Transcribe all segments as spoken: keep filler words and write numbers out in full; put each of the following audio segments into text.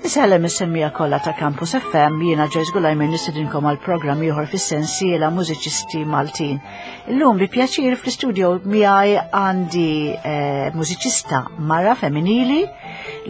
Insellem is-semmiegħa kollha ta' Campus F M, jiena Joyce Gulajmin, nistedinkom għal programm ieħor fis-sensiela Mużiċisti Maltin. Illum bi pjaċir fl-istudio miegħi għandi eh, mużiċista mara femminili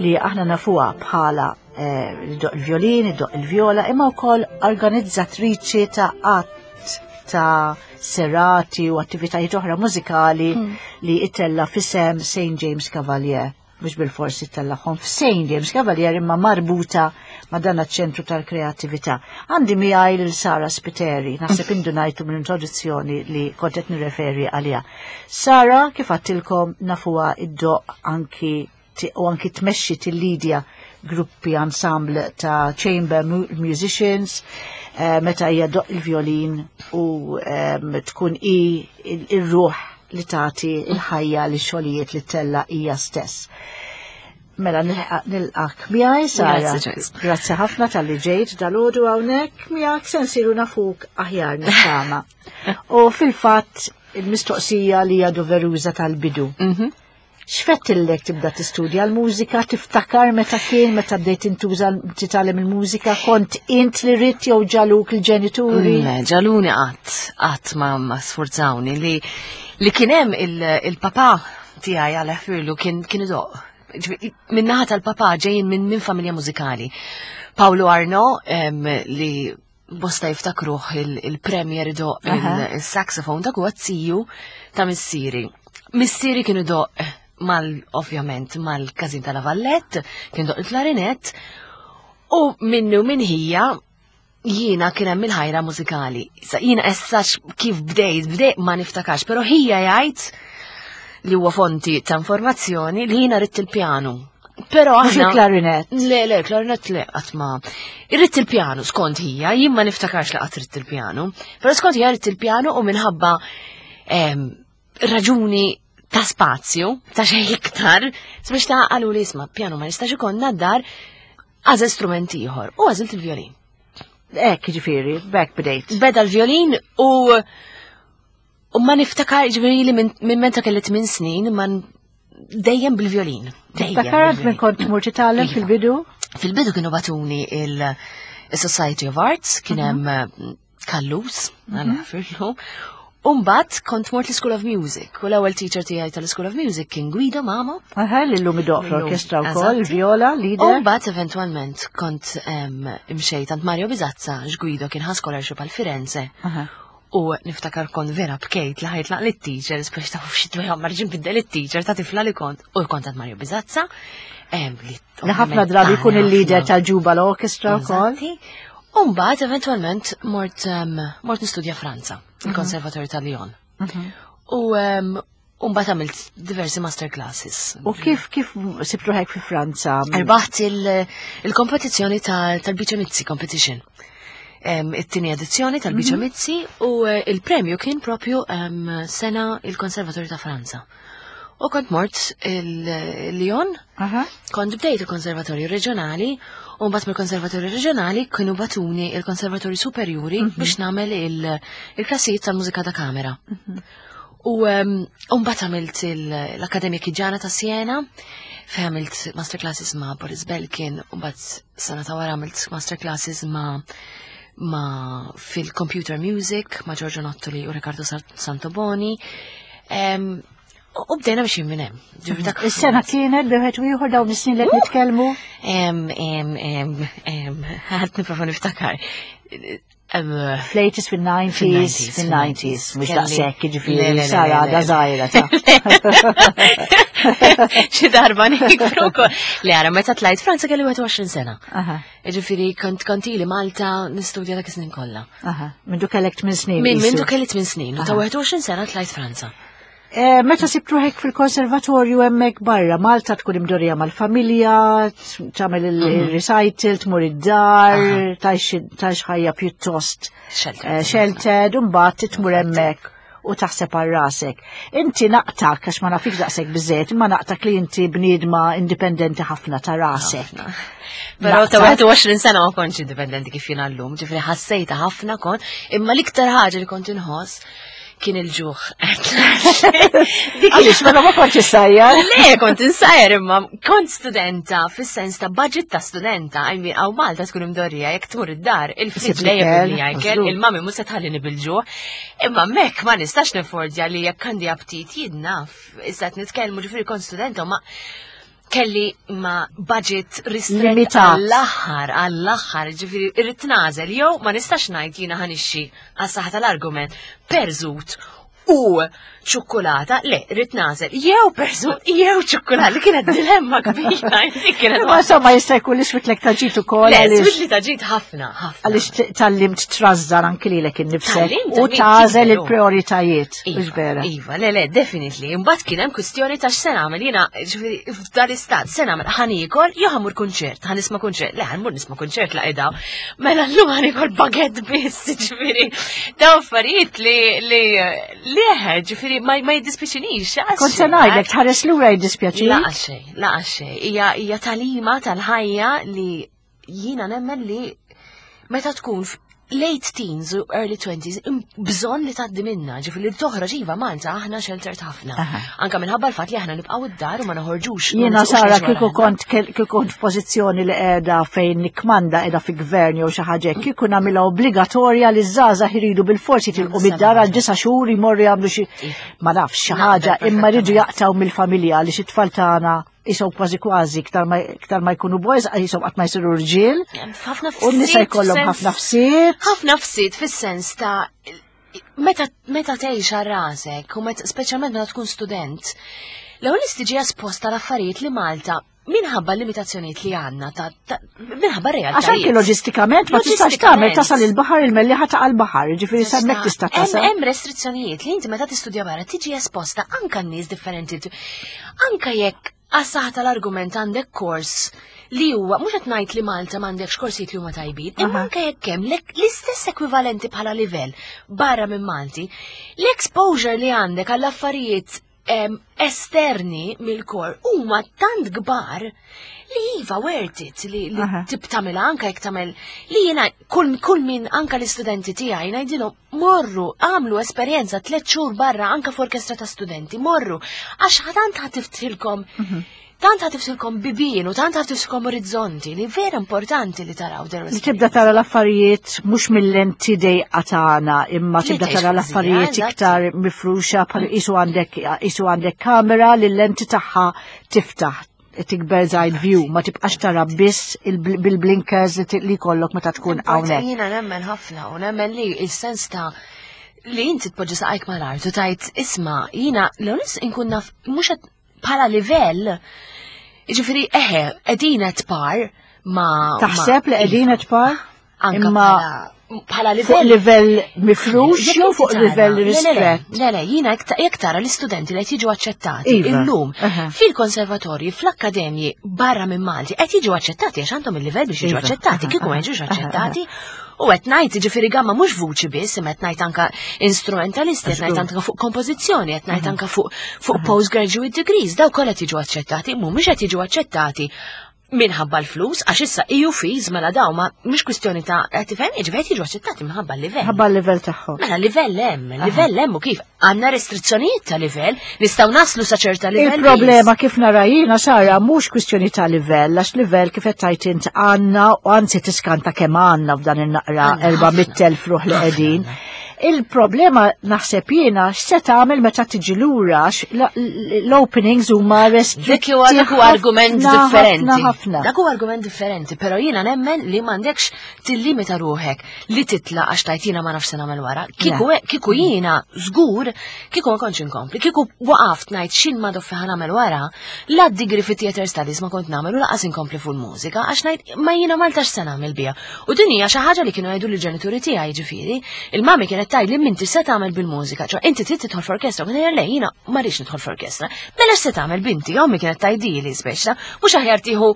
li aħna nafuha bħala eh, iddoqq il-violin, iddoqq il-viola, imma wkoll organizzatriċi ta' għadd ta' serati u attivitajiet oħra mużikali mm. li ittella' f'isem Saint James Cavalier, mhux bil-forsi ttellagħhom f'Saint James Cavalier imma marbuta ma' dan ċentru tal-kreatività. Għandi miegħi lil Sara Spiteri, naħseb indunajtu mill-introduzzjoni li kont qed nirreferi għaliha. Sara, kif għedtilkom, nafuha iddoqq anki u anki tmexxi tillidja gruppi, ensemble ta' chamber musicians, eh, meta hija ddoqq il-violin u um, tkun i il-ruħ li tagħti il-ħajja li xogħlijiet li ttella' hija stess. Mela nilqgħek miegħi, Sara. Grazzi ħafna talli ġejt dalgħodu hawnhekk miegħek se nsiru nafuk aħjar, nittama. U fil-fatt il-mistoqsija li hija doveruża tal-bidu. Mhm. X'fettillek tibda tistudja l-mużika, tiftakar meta kien, meta bdejt intuża titgħallem il-mużika, kont int li ridt jew ġagħluk il-ġenituri? Le, ġagħluni qatt, qatt ma ma sfurzawni. li li kien hemm il-papa tiegħi għal ħfirlu kien kien idoqq. Min-naħa tal-papa ġejjin minn min familja mużikali. Paolo Arno, li bosta jiftakruh il-premier idoqq il-saxophone, dak huwa ziju ta' missieri. Missieri kien idoqq mal, ovvjament, mal-każin ta' La Vallette, kien idoqq il-klarinet, u minnu minn ħija jiena kien hemm il-ħajra mużikali. Sa jiena essax kif bdejt, bdejt ma niftakax, però ħija jgħid li huwa fonti ta' informazzjoni li jiena ridt il-pjanu. Però Mhux aħna. il-klarinet. Le, le, klarinet le, qatt ma. Irrid il-pjanu, skont hija, jien ma niftakarx li qatt ridt il-pjanu, però skont hija ridt il-pjanu u minħabba em, raġuni ta' spazju, ta' xejn iktar, sabiex ta' qalu li isma' pjanu ma nistax ikollna d-dar, għażel strument ieħor u għażilt il-violin. Ek, ġifieri, bek bdejt. Beda l-violin u u ma niftakar, ġifieri li minn minn meta kelli tmien snin ma n- dejjem bil-violin. Dejjem Tiftakar minn bil-violin. kont tmur titgħallem Iva. fil-bidu? Fil-bidu kienu bagħtuni il-Society of Arts, kien hemm eh, Kallus, għala firlu. Umbat kont mort l-School of Music, u l-ewwel teacher tiegħi tal-School of Music kien Guido Mamo. Aha, li llum idoqq fl-orkestra wkoll, Eżatt. il-viola, leader. Umbat eventualment kont em, imxejt għand Mario Bizazza, Guido kien ħa scholarship għal Firenze. Aha. U niftakar kont vera bkejt li ħa jitlaq lit-teacher, speċi ta' xi dwejja marġin biddel it-teacher ta' tifla li kont. U kont għand Mario Bizazza. em, Li Li ħafna drabi jkun il-leader tal-Ġuba l-orkestra wkoll. Eżatti. Umbat, eventualment, mort, um, mort nistudja Franza, il-Konservatorju ta' Lyon. U um, umbat għamilt diversi masterclasses. U kif kif sibt ruħek fi Franza? Rbaħt il- il-kompetizzjoni tal- tal-Bice Mizzi Competition. Em, It-tieni edizzjoni tal-Bice Mizzi u eh, il-premju kien propju em, sena il-Konservatorju ta' Franza. U kont mort il-Lyon, Aha. kont bdejt il-Konservatorju Reġjonali u mbagħad mill-Konservatorju Reġjonali kienu bagħtuni il-Konservatorju Superjuri biex nagħmel il- il-klassijiet tal-mużika ta' kamera. U um, u mbagħad għamilt il- l-Akkademja Chigiana ta' Siena, fejn għamilt masterclasses ma' Boris Belkin, u mbagħad sena ta' wara għamilt masterclasses ma' ma' fil-computer music ma' Giorgio Nottoli u Riccardo Sa- Santoboni. Em, U bdejna biex minn hemm. Ġifieri dak- Is-sena kienet bejn wieħed u ieħor dawn is-snin li qed nitkellmu? Em, em, em, em, ħa nipprova niftakar. Em, Fl-eighties, fil-nineties, Fil-nineties, fil-nineties, mhux Kelli- daqshekk, Le, ġifieri, le, le, Sara le, għadha le. żgħira ta'. Xi darba nikbru wkoll. Le, ara, meta tlajt Franza kelli wieħed u għoxrin sena. Aha, Ġifieri kont kont ili Malta nistudja dak is-snin kollha. aha. Mindu kellek tmien snin. Min qisu. mindu kelli tmien snin, u ta' Aha. wieħed u għoxrin sena tlajt Franza. Eh, Meta sibt ruħek fil-konservatorju hemmhekk barra, Malta tkun imdorrija mal-familja, t- tagħmel il-recital, tmur id-dar, tgħix ħajja pjuttost Sheltered. eh, sheltered, u mbagħad tmur hemmhekk u taħseb għal rasek. Inti naqtak, għax ma nafik daqshekk biżejjed, imma naqtak li inti bniedma indipendenti ħafna ta' rasek. Però ta' Naqtak. wieħed u għoxrin sena ma kontx indipendenti kif jiena llum, ġifieri ħassejta ħafna kont, imma l-iktar ħaġa li kont inħoss Kien il-ġuħ. Dik Għaliex mela ma kontx issajjar? Le, kont insajjar imma kont studenta fis-sens ta' budget ta' studenta. I mean, hawn Malta tkun imdorrija jekk tmur id-dar, il-fridge dejjem jgħajkel, il-mami mhux se tħallini bil-ġuħ. Imma mek ma nistax neffordja li jekk għandi aptit jien naf. Issa qed nitkellmu ġifieri kont studenta ma kelli ma budget ristret għall-aħħar, għall-aħħar, ġifieri irrid nagħżel jew ma nistax ngħid jiena ħa nixxi għas-saħħa tal-argument perżut u ċokolata, le, rrid nagħżel, jew perżut, jew ċokolata, li kienet dilemma kbira. Kienet Ma insomma jista' jkun li switlek ta' ġid ukoll. Le, switli ta' ġid ħafna, ħafna. Għaliex tgħallimt trażżan anki lilek innifsek u tagħżel il-prioritajiet. Iva, iva, le, le, definitely. Imbagħad kien hemm kwistjoni ta' x'se nagħmel jiena ġifieri f'dal-istat se nagħmel ħa niekol jew ħa mmur kunċert, ħa nisma' kunċert. Le, ħa mmur nisma' kunċert la qiegħda. Mela llum ħa niekol baguette biss, ġifieri. Daw affarijiet li li li ġifieri ma ma jiddispjaċinix. Kont se ngħidlek tħares lura jiddispjaċi? La xejn, la xejn. Hija hija tagħlima tal-ħajja li jiena nemmen li meta tkun late teens u early twenties bżonn li tgħaddi minna, ġifieri li toħroġ iva Malta aħna sheltered ħafna. Anka minħabba l-fatt li aħna nibqgħu id-dar u ma noħorġux. Jiena Sara kieku kont kieku kont f'pożizzjoni li qiegħda fejn nikkmanda qiegħda fi gvern jew xi ħaġa kieku nagħmilha obbligatorja li żgħażagħ iridu bil-forsi tilqu mid-dar għal disa' xhur jmorru jagħmlu xi ma nafx xi ħaġa imma jridu jaqtaw mill-familja li xi tfal tagħna jisom kważi kważi iktar ma iktar ma jkunu boys jisom qatt ma jsiru rġiel. Ħafna U n-nisa jkollhom ħafna fsiet. Ħafna fsiet fis-sens ta' meta meta tgħix għal rasek u meta speċjalment meta tkun student, l-ewwel tiġi esposta l-affarijiet li Malta minħabba limitazzjonijiet li għandna ta' ta' minħabba realtajiet. Għax anke loġistikament ma tistax tagħmel tasal il-baħar il-Mellieħa ta' l-baħar, ġifieri s'hemmhekk tista' tasal. Hemm restrizzjonijiet li inti meta tistudja barra tiġi esposta anka n-nies differenti. Anka jekk għas-saħħa tal-argument għandek kors li huwa mhux qed ngħid li Malta m'għandekx korsijiet li huma tajbin, imma anke jekk hemm l-istess ekwivalenti bħala livell barra minn Malti, l-exposure li għandek għall-affarijiet esterni mill-kor huma tant kbar li iva worth it li, li tibtamel anka jekk tagħmel li jiena kull, kull min anka l-istudenti tiegħi ngħidilhom morru għamlu esperjenza tliet xhur barra anka f'orkestra ta' studenti morru għax tant ħa tiftħilkom mhm. tant ħa tiftħilkom bibien u tant ħa tiftħilkom orizzonti li vera importanti li taraw Li tibda tara l-affarijiet mhux mill-lenti dejqa tagħna, imma tibda tara l-affarijiet iktar mifruxa bħal isu għandek isu għandek kamera li l-lenti tagħha tiftaħ tikber eye view, ma tibqax tara biss bil-blinkers li kollok meta tkun hawnhekk. Jiena nemmen ħafna u nemmen li il-sens ta' li inti tpoġġi saqajk mal-art u tajt isma' jiena l-onis inkun naf mhux bħala livell. Ġifieri, eħe, qegħdin at par ma. Taħseb li qegħdin at par? Imma bħala livell. Fuq livell mifrux jew fuq livell ristret? Le, le, jiena jekk tara l-istudenti li qed jiġu aċċettati iva. illum fil-konservatorji, fl-akkademji barra minn Malti qed jiġu aċċettati għax għandhom il-livell biex jiġu iva. aċċettati, kieku ma jiġux aċċettati. U qed ngħid ġifieri gamma mhux vuċi biss, imma qed ngħid anka instrumentalisti, qed ngħid anka fuq kompożizzjoni, qed ngħid anka fuq fuq postgraduate degrees, daw kollha jiġu aċċettati, mhumiex qed jiġu aċċettati minħabba l-flus, għax issa E U fees mela daw ma mhux kwistjoni ta' qed tifhem, jiġifieri jiġu aċċettati minħabba l-livell. Minħabba l-livell tagħhom. Mela livell hemm, livell hemm u kif għandna restrizzjonijiet ta' livell, nistgħu naslu sa ċerta livell. Il-problema kif nara jiena Sara mhux kwistjoni ta' livell, għax livell kif qed tajt int għandna u anzi tiskanta kemm għandna f'dan in-naqra erba' mitt elf ruħ li qegħdin. Il-problema naħseb jiena x'se tagħmel meta tiġi lura l-openings huma restritti. Dik huwa argument differenti. Dak huwa argument differenti, però jiena nemmen li m'għandekx tillimita ruħek li titla għax tajt jiena ma nafx se nagħmel wara. Kieku kieku jiena żgur, kieku ma kontx inkompli, kieku waqaft ngħid x'in ma doffi ħa nagħmel wara, la degree fi theater studies ma kont nagħmel u lanqas inkompli fuq mużika għax ngħid ma jiena Malta x'se nagħmel biha. U din hija xi ħaġa li kienu jgħidu lill-ġenituri tiegħi ġifieri, il-mami kienet tgħid li minti se tagħmel bil-mużika, ċo inti trid tidħol f'orkestra, kien le jiena ma rridx nidħol f'orkestra. Mela x'se tagħmel binti, ommi kienet tgħidili speċa, mhux aħjar tieħu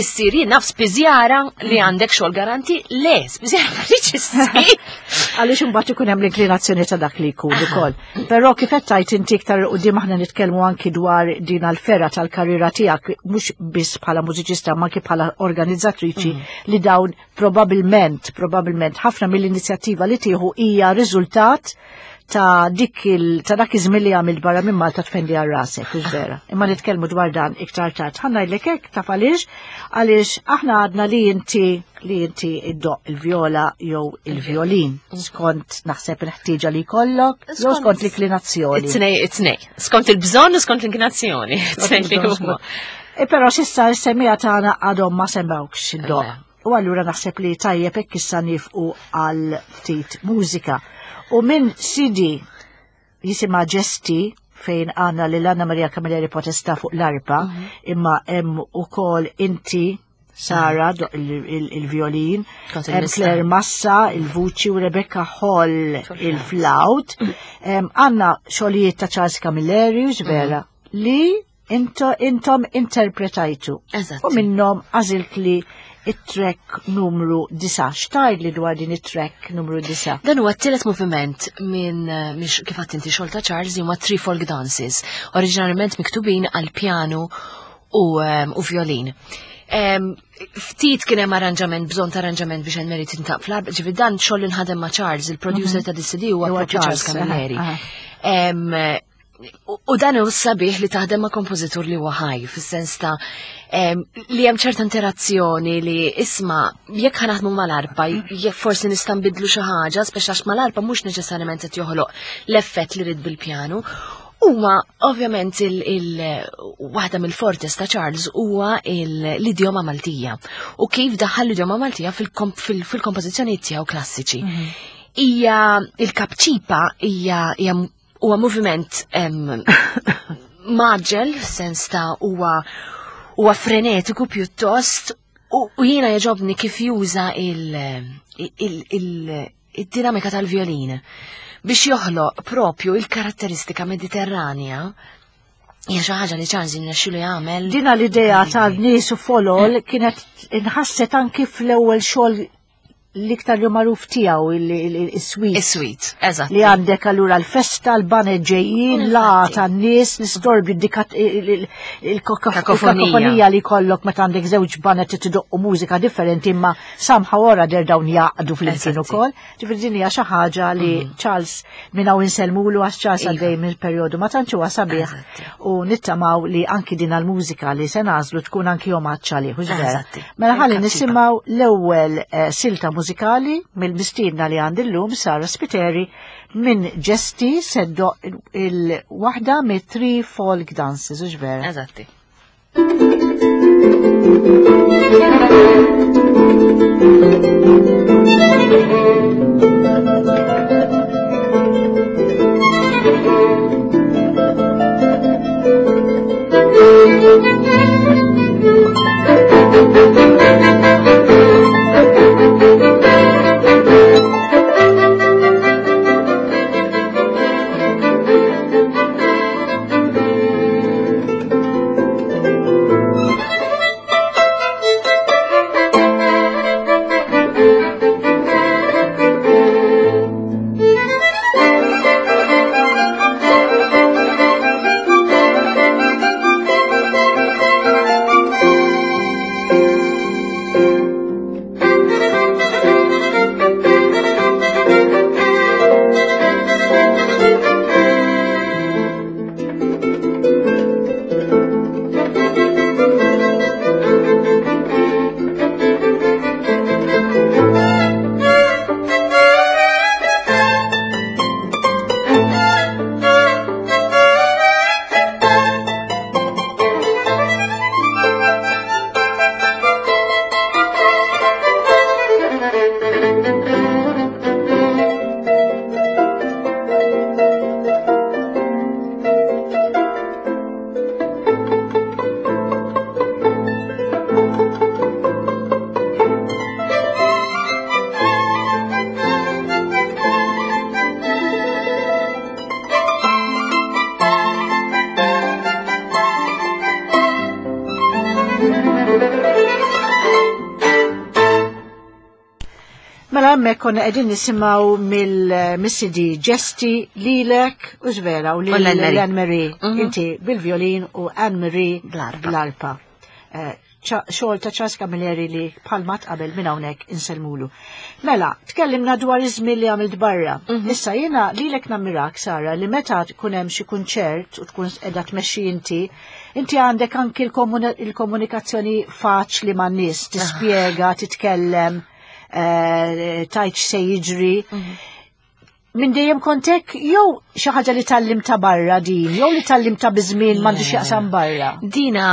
issir jien naf spiżjara li għandek xogħol garanti, le, spiżjara ma rridx issir. Għaliex imbagħad ikun hemm l-inklinazzjoni ta' dak li jkun ukoll. Però kif qed tgħid inti iktar quddiem aħna nitkellmu anki dwar din l-ferra tal-karriera tiegħek mhux biss bħala mużiċista ma anki bħala organizzatriċi mm. li dawn probabilment, probabilment ħafna mill-inizjattiva li tieħu hija riżultat ta' dik il ta' dak iż-żmien li għamilt barra minn Malta tfendi għal rasek, hux vera. Imma nitkellmu dwar dan iktar tard. Ħa ngħidlek hekk taf għaliex għaliex aħna għadna li inti li inti iddoqq il-vjola jew il-violin skont naħseb il-ħtieġa li jkollok jew skont l-inklinazzjoni. It-tnej, it-tnej. Skont il-bżonn u skont l-inklinazzjoni. It-tnej li huma. E però s'issa s-semmiegħa tagħna għadhom ma semgħukx iddoqq. U allura naħseb li tajjeb hekk issa nieqfu għal ftit mużika. U minn C D jisimha Ġesti, fejn għandna lil Anna Maria Camilleri Potesta fuq l-arpa, imma hemm ukoll inti, Sara, iddoqq il-violin, Kont hemm il-missa. Claire Massa, il-vuċi, u Rebecca Hall, il-flaut. Għandna xogħlijiet ta' Charles Camilleri, vera, li into, intom interpretajtu. Eżatt. U minnhom għażilt li it-track numru disgħa. X'tgħid li dwar din it-track numru disgħa? Dan huwa t-tielet moviment minn eh, minn kif għedt inti xogħol ta' Charles li huma Three Folk Dances, oriġinarjament miktubin għal pjanu u, um, u violin. Um, ftit kien hemm arranġament, bżonn ta' arranġament biex Anne Mary tintaq fl-arpa, ġifieri dan xogħol li nħadem ma' Charles, il-producer ta' D C D huwa Huwa propju Charles Charles, Camilleri. aha, Em, u u dan hu sabiħ li taħdem ma' kompożitur li huwa ħaj, fis-sens ta' em, li hemm ċerta interazzjoni li isma' jekk ħa naħdmu mal-arpa, jekk forsi nista' nbidlu xi ħaġa, speċi għax mal-arpa mhux neċessarjament qed joħloq l-effett li rid bil-pjanu. Huwa ovvjament il, il waħda mill-fortes ta' Charles huwa il- l-idjoma Maltija u kif daħal l-idjoma Maltija fil-komp- fil- fil-kompożizzjoni tiegħu klassiċi. Hija il-kapċipa hija hija huwa moviment em, mgħaġġel, sens ta' huwa huwa frenetiku pjuttost u, u jiena jogħġobni kif juża il, il, il, il-dinamika tal-violin biex joħloq propju il-karatteristika mediterranja. Hija xi ħaġa li Charles jirnexxielu jagħmel. Dina l-idea ta' nies u folol kienet inħasset anki fl-ewwel xogħol l-iktar li magħruf tiegħu, il-suite. Is-suite, eżatt. Li għandek allura l-festa, l-baned ġejjin, la Infatti. tan-nies, l-istorbju, Kakofonija. il-kakofonija li kollok meta għandek żewġ baned tidoqqu mużika differenti, imma somehow or other dawn jaqdu flimkien Eżatti. ukoll. Ġifieri din hija xi ħaġa li Charles minn hawn insellmulu, għax Charles Iva. għaddej minn perjodu ma tantx huwa sabiħ Eżatti. u nittamaw li anki din għal-mużika li se nagħżlu tkun anki omaġġ għalih, hux vera? Eżatti. Mela ħalli Il-kapċipa. nisimgħu l-ewwel eh, silta mużikali mill-mistiedna li għandi llum, Sara Spiteri, minn Ġesti se ddoqq il-waħda mit Three Folk Dances, hux vera? Eżatti. Mela hemmhekk konna qegħdin nisimgħu mill-C D Ġesti lilek u vera u U l-Anne Marie. Anne Marie. Mhm. Inti bil-violin u Anne Marie Bl-arpa. bl-arpa. Eh, Xogħol ta' Charles Camilleri li bħalma qabel minn hawnhekk insellmulu. Mela, tkellimna dwar iż-żmien li għamilt barra. Mhm. Issa jiena lilek nammirak, Sara, li meta tkun hemm xi kunċert u tkun qiegħda tmexxi inti, inti għandek anki il-komuni- il-komunikazzjoni faċli man-nies, tispjega, titkellem, eh, tgħid x'se jiġri. Minn dejjem kontek jew xi ħaġa li tgħallimtha barra din, jew li tgħallimtha biż-żmien m'għandux jaqsam barra? Dina,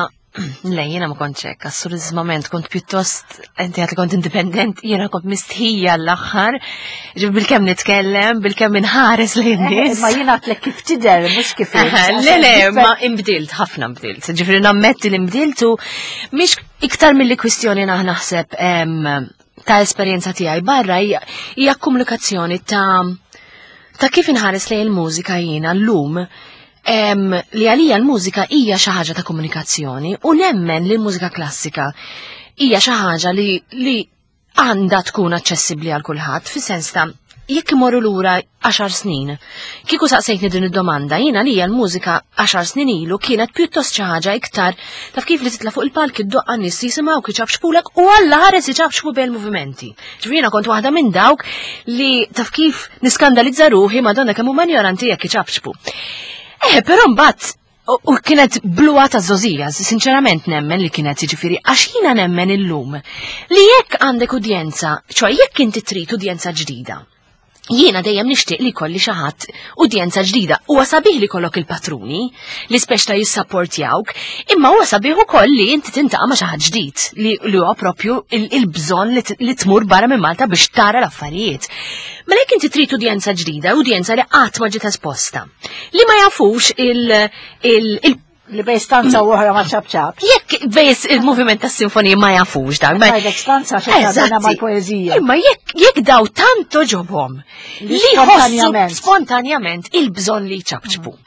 le, jiena ma kontx hekk, assolutament kont pjuttost, inti għedt li kont indipendent, jiena kont mistħija l-aħħar, ġib bil-kemm nitkellem, bil-kemm inħares lejn nies. Ma jiena għedtlek kif tidher, mhux kif int. Le, le, ma imbdilt, ħafna imbdilt. Ġifieri nammetti li imbdiltu, mhix iktar mill-li kwistjoni naħ naħseb em, ta' esperjenza tiegħi barra hija hija komunikazzjoni ta' ta' kif inħares lejn il-mużika jiena llum em, li għalija l-mużika hija xi ħaġa ta' komunikazzjoni u nemmen li l-mużika klassika hija xi ħaġa li, li għandha tkun aċċessibbli għal kulħadd fis-sens ta' jekk imorru lura għaxar snin. Kieku saqsejtni din id-domanda, jiena li l-mużika għaxar snin ilu kienet pjuttost xi ħaġa iktar taf kif li titla' fuq il-palk iddoqq, nies jisimgħu iċapċpulek u Alla ħares iċapċpu bejn movimenti. Ġifieri jiena kont waħda minn dawk li taf kif niskandalizza ruħi, madonna, kemm huma ignoranti jekk iċapċpu. Eh, però mbagħad U u kienet bluha ta' żgħożija, sinċerament nemmen li kienet, ġifieri, għax jiena nemmen illum li jekk għandek udjenza, ċoè jekk inti trid udjenza ġdida, jiena dejjem nixtieq li kolli xi ħadd udjenza ġdida. Huwa sabiħ li kollok il-patruni li speċta jissapportjawk, imma huwa sabiħ ukoll li inti tiltaqa' ma' xi ħadd ġdid li li huwa propju il-bżonn li t- li tmur barra minn Malta biex tara l-affarijiet. Mela jekk inti trid udjenza ġdida, udjenza li qatt ma ġiet esposta, li ma jafux il- il- il Li bejn stanza u oħra ma ċapċap. Jekk bejs il-moviment tas sinfonija ma jafux dak. ma- Ngħidlek stanza xi Eżatti. mal-poeżija. Imma jekk jekk daw tant għoġobhom Li li jħossu spontanjament. spontanjament il-bżonn li jċapċpu.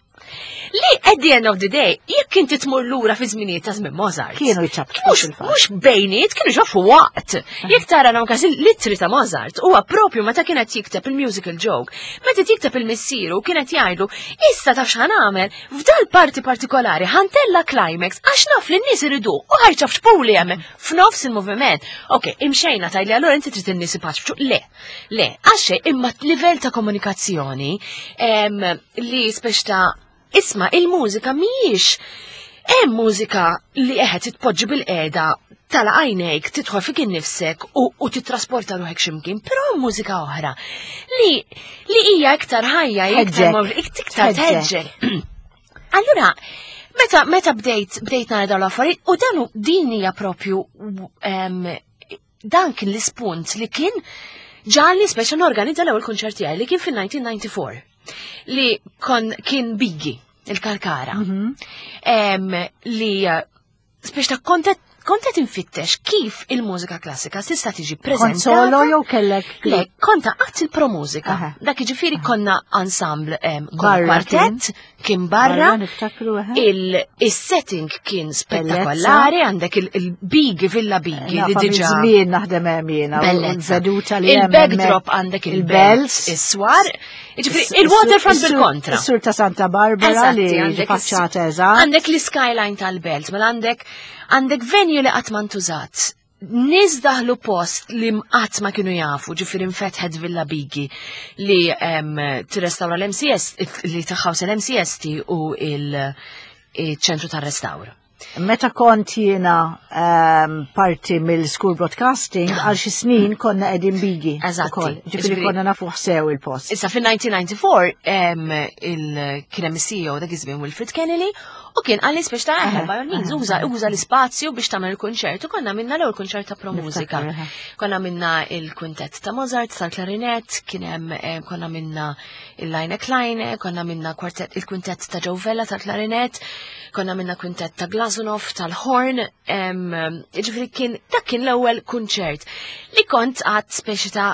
Li at the end of the day, jekk inti tmur lura fi żminijiet ta' żmien Mozart. Kienu jċapċpu Mhux fil-fatt. Mhux bejniet, kienu ġofu waqt. Jekk tara dawn każi l-ittri ta' Mozart, huwa propju meta kienet jikteb il-musical joke, meta jikteb il-missieru kienet jgħidlu, "Issa taf x'ħa nagħmel, f'dal parti partikolari ħa ntella' climax għax naf li n-nies iridu u ħa jċapċpuli hemm f'nofs il-moviment." Ok, imxejna tgħidli allura inti trid in-nies ipaċċu. Le, le, għax imma livell ta' komunikazzjoni em, li speċ ta' isma' il-mużika mhijiex, hemm mużika li eħed titpoġġi bil-qiegħda tagħlaq għajnejk, tidħol fik innifsek u, u titrasporta ruħek ximkien, però hemm mużika oħra li li hija iktar ħajja, hija iktar Tħeġġek. mov- iktar Tħeġġek. tħeġġek. Allura, meta meta bdejt bdejt nara dawn l-affarijiet u dan hu- din hija propju em, dan kien l-ispunt li kien ġagħalni speċa norganizza l-ewwel kunċert tiegħi li kien fil-elf disa' mija u disgħa u disgħin li kon kien Bighi, il-Kalkara. Em, li eh, speċa ta' kontet kontet infittex kif il-mużika klassika tista' tiġi Kont preżentata. solo jew kellek? Le, konta għat il-promużika. Aha. Dak ġifieri konna ensemble, em, konna Barra. kwartet, kien barra. Niftakru, eħe. Il-setting kien spettakolari, għandek il-Bighi, Villa Bighi, li Nafa diġa. Żmien naħdem hemm jiena. u Bellezza. l-veduta li hemm Il-backdrop hemmhekk. għandek il-belt, Il-bells. is-swar, ġifieri il-waterfront bil-kontra. Is-sur ta' Santa Barbara li Eżatti, għandek faċċata is- eżatt. Għandek l-skyline tal-belt, mela għandek għandek venue li qatt ma ntużat. Nies daħlu post li qatt ma kienu jafu, ġifieri infetħet Villa Bighi li em, tirrestawra l-M C S, li taħħaws l-M C S T u il-ċentru tar-restawr. Meta kont jiena ehm, parti mill-school broadcasting, għal xi snin konna qegħdin Bighi. Eżatti. Ukoll. Ġifieri Ġifieri- konna nafu sew il-post. Issa fil-elf disa' mija u disgħa u disgħin em, il kien hemm il-C E O dak iż-żmien Wilfred Kennedy u kien qalli speċ ta' eħe, by all means, uża uża l-ispazju biex tagħmel il-kunċert u konna minna l-ewwel kunċert ta' pro mużika. Niftakar, eħe. Konna minna il-kwintet ta' Mozart tal-klarinet, kien hemm em, konna minna il-Line Kleine, konna minna kwartet il-kwintet ta' Joe Vella tal-klarinet, konna minna kwintet ta' Glazunov tal-horn, em, ġifieri kien dak kien l-ewwel kunċert li kont għad speċi ta'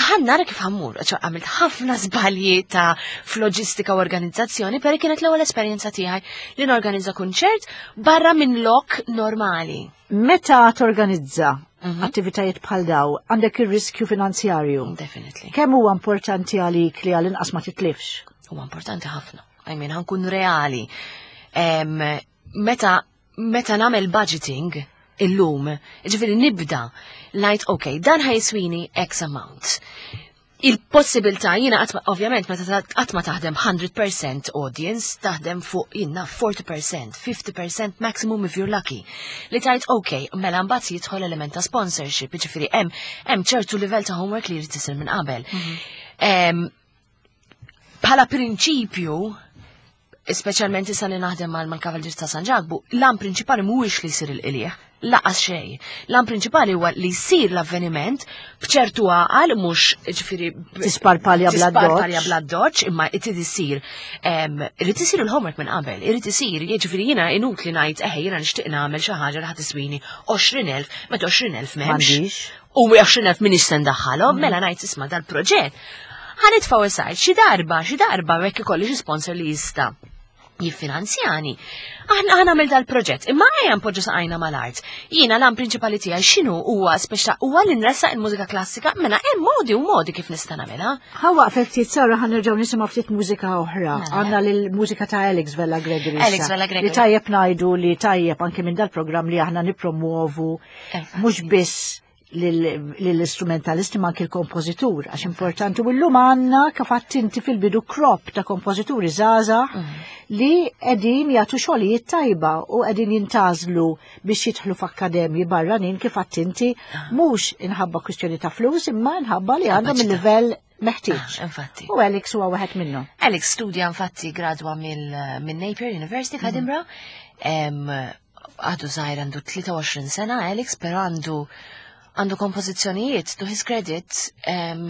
ħa nara kif ħa mmur, ċoè għamilt ħafna żbalji ta' f'loġistika u organizzazzjoni, però kienet l-ewwel esperjenza tiegħi li norganizza kunċert barra minn lok normali. Meta torganizza Mhm. attivitajiet bħal daw, għandek ir-riskju finanzjarju. Definitely. Kemm huwa importanti għalik li għal-inqas ma titlifx? Huwa importanti ħafna. I mean, ħa nkun reali. Em, meta meta nagħmel budgeting, Illum, ġifieri nibda ngħid, ok, dan ħa jiswini X amount. Il-possibilità jiena ovvjament meta qatt ma taħdem mija fil-mija audience, taħdem fuq jiena erbgħin fil-mija, ħamsin fil-mija maximum if you're lucky. Li tgħid, ok, mela mbagħad jidħol element ta' sponsorship, jiġifieri hemm hemm ċertu livell ta' homework li jrid isir minn qabel. Mhm. Bħala prinċipju, speċjalment issa li naħdem mal-Kavalġir ta' San Ġakbu, l-għan prinċipali mhuwiex li jsir il-qligħ, lanqas xejn. L-għan prinċipali huwa li jsir l-avveniment b'ċertu għaqal, mhux ġifieri tisparpalja bla tisparpalja bla doċ, imma irid isir irid isir il-homework minn qabel, irid isir, jiġifieri jiena inutli ngħid eħe jiena nixtieq nagħmel xi ħaġa li ħa tiswini għoxrin elf, meta għoxrin elf m'hemmx. U għoxrin elf minix se ndaħħalhom, mela ngħid isma' dal-proġett ħa nitfgħu aside, xi darba, xi darba hekk ikolli xi sponsor li jista' jiffinanzjani. Aħna ħa nagħmel dal-proġett, imma ejja npoġġu saqajna mal-art. Jiena l-għan prinċipali tiegħi x'inhu huwa speċa huwa li nressaq il-mużika klassika, mela hemm modi u modi kif nista' nagħmilha. Ħa waqfek ftit Sara, ħa nerġgħu nisimgħu ftit mużika oħra. Mela. Għandna l-mużika ta' Alex Vella Gregory. Alex Vella Gregory. Li tajjeb ngħidu li tajjeb anke minn dal-programm li aħna nipromuovu mhux biss lill-istrumentalisti ma anke l-kompożitur, għax importanti u llum għandna kif inti fil-bidu crop ta' kompożituri żgħażagħ mm. li qegħdin jagħtu xogħlijiet tajba u qegħdin jintgħażlu biex jidħlu f'akkademji barranin kif inti ah. mhux inħabba kwistjoni ta' flus imma inħabba li għandhom il-livell meħtieġ. Ah, infatti. U Alex huwa wieħed minnhom. Alex studja infatti gradwa mill Napier University f'Edinburgh. Għadu żgħir, għandu tlieta u għoxrin sena Alex, però għandu għandu kompożizzjonijiet to his credit um,